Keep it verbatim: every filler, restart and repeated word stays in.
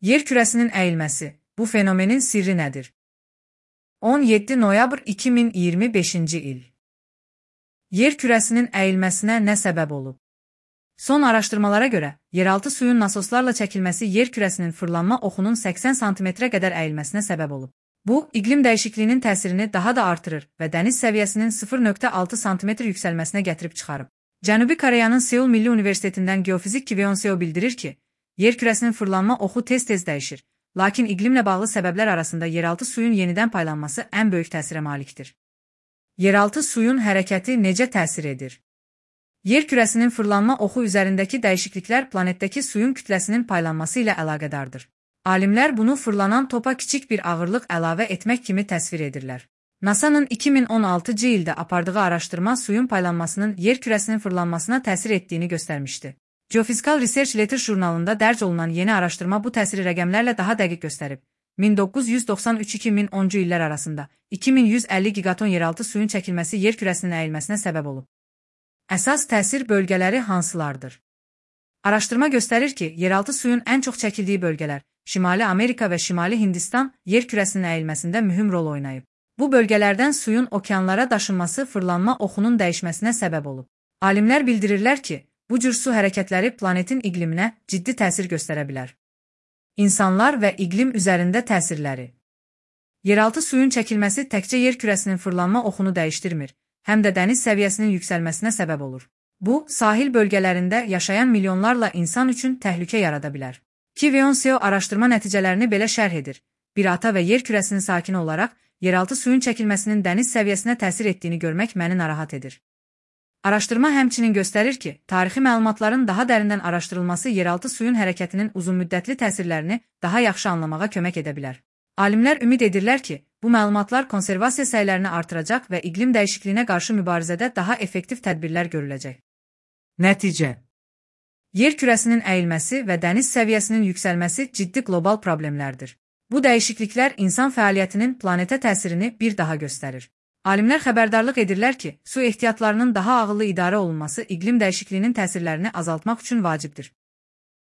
Yer kürəsinin əyilməsi. Bu fenomenin sirri nədir? on yeddi noyabr iki min iyirmi beşinci il. Yer kürəsinin əyilməsinə nə səbəb olub? Son araşdırmalara görə, yeraltı suyun nasoslarla çəkilməsi yer kürəsinin fırlanma oxunun səksən santimetrə qədər əyilməsinə səbəb olub. Bu, iqlim dəyişikliyinin təsirini daha da artırır və dəniz səviyyəsinin sıfır nöqtə altı santimetr yüksəlməsinə gətirib çıxarıb. Cənubi Koreyanın Seul Milli Universitetindən geofizik Kim Yeon-seo bildirir ki, yer kürəsinin fırlanma oxu tez-tez dəyişir, lakin iqlimlə bağlı səbəblər arasında yeraltı suyun yenidən paylanması ən böyük təsirə malikdir. Yeraltı suyun hərəkəti necə təsir edir? Yer kürəsinin fırlanma oxu üzərindəki dəyişikliklər planetdəki suyun kütləsinin paylanması ilə əlaqədardır. Alimlər bunu fırlanan topa kiçik bir ağırlıq əlavə etmək kimi təsvir edirlər. NASA'nın iki min on altıncı ildə apardığı araşdırma suyun paylanmasının yer kürəsinin fırlanmasına təsir etdiyini göstərmişdi. Geophysical Research Letters jurnalında dərc olunan yeni araşdırma bu təsiri rəqəmlərlə daha dəqiq göstərib. min doqquz yüz doxsan üç iki min onuncu illər arasında iki min yüz əlli gigaton yeraltı suyun çəkilməsi yer kürəsinin əyilməsinə səbəb olub. Əsas təsir bölgələri hansılardır? Araşdırma göstərir ki, yeraltı suyun ən çox çəkildiyi bölgələr, Şimali Amerika və Şimali Hindistan yer kürəsinin əyilməsində mühüm rol oynayıb. Bu bölgələrdən suyun okeanlara daşınması fırlanma oxunun dəyişməsinə səbəb olub. Alimlər bildirirlər ki, bu cür su hərəkətləri planetin iqliminə ciddi təsir göstərə bilər. İnsanlar və iqlim üzərində təsirləri. Yeraltı suyun çəkilməsi təkcə yer kürəsinin fırlanma oxunu dəyişdirmir, həm də dəniz səviyyəsinin yüksəlməsinə səbəb olur. Bu, sahil bölgələrində yaşayan milyonlarla insan üçün təhlükə yarada bilər. Kim Yeon-seo araşdırma nəticələrini belə şərh edir. Bir ata və yer kürəsinin sakini olaraq, yeraltı suyun çəkilməsinin dəniz səviyyəsinə təsir etdiyini görmək məni narahat edir. Araşdırma həmçinin göstərir ki, tarixi məlumatların daha dərindən araşdırılması yeraltı suyun hərəkətinin uzunmüddətli təsirlərini daha yaxşı anlamağa kömək edə bilər. Alimlər ümid edirlər ki, bu məlumatlar konservasiya səylərini artıracaq və iqlim dəyişikliyinə qarşı mübarizədə daha effektiv tədbirlər görüləcək. Nəticə. Yer kürəsinin əyilməsi və dəniz səviyyəsinin yüksəlməsi ciddi qlobal problemlərdir. Bu dəyişikliklər insan fəaliyyətinin planetə təsirini bir daha göstərir. Alimlər xəbərdarlıq edirlər ki, su ehtiyatlarının daha ağıllı idarə olunması iqlim dəyişikliyinin təsirlərini azaltmaq üçün vacibdir.